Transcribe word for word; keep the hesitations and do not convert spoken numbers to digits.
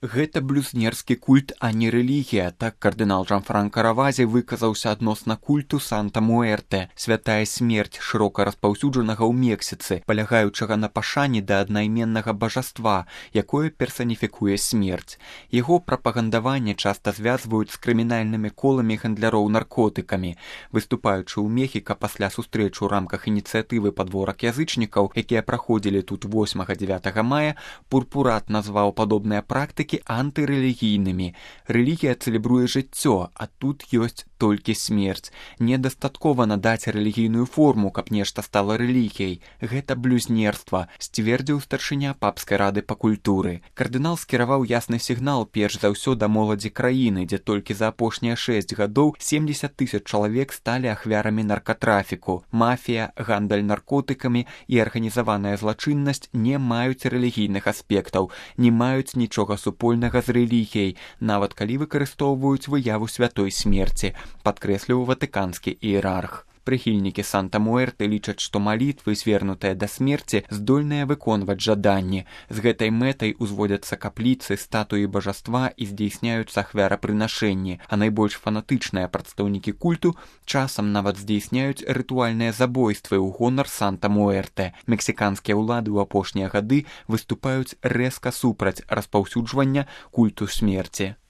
Гэта блюзнерскі культ, а не рэлігія, так кардынал Джанфранка Равазі выказаўся адносна культу Санта-Муэрте, святая смерць шырока распаўсюджанага ў Мексіцы, палягаючага на пашане да аднайменнага бажаства, якое персаніфікуе смерць. Яго прапагандаванне часта звязваюць з крымінальнымі коламі гандляроў наркотыкамі. Выступаючы ў Мехіка пасля сустрэчы ў рамках ініцыятывы падворак язычнікаў, якія праходзілі тут восьмага-дзявятага мая, Пурпурат назваў падобныя практыкі антырэлігійнымі. Рэлігія цэлебруе жыццё, а тут ёсць толькі смерць. Недастаткова надаць рэлігійную форму, каб нешта стала рэлігіяй. Гэта блюзнерства, сцвердзіў старшыня папскай рады па культуры. Кардынал скіраваў ясны сігнал перш за ўсё да моладзі краіны, дзе толькі за апошнія шэсць гадоў семдзесят тысяч чалавек сталі ахвярамі наркатрафіку. Мафія, гандаль наркотыкамі і арганізаваная злачыннасць не маюць рэлігійных аспектаў, не маюць нічога супольнага з рэлігіяй, нават калі выкарыстоўваюць выяву святой смерці, падкрэсліў ватыканскі іерарх. Прыхільнікі Санта-Муэрте лічаць, што малітвы, звернутыя да смерці, здольныя выконваць жаданні. З гэтай мэтай узводзяцца капліцы, статуі бажаства і здзейсняюцца ахвярапрынашэнні, а найбольш фанатычныя прадстаўнікі культу часам нават здзейсняюць рытуальныя забойствы ў гонар Санта-Муэрте. Мексіканскія ўлады ў апошнія гады выступаюць рэзка супраць распаўсюджвання культу смерці.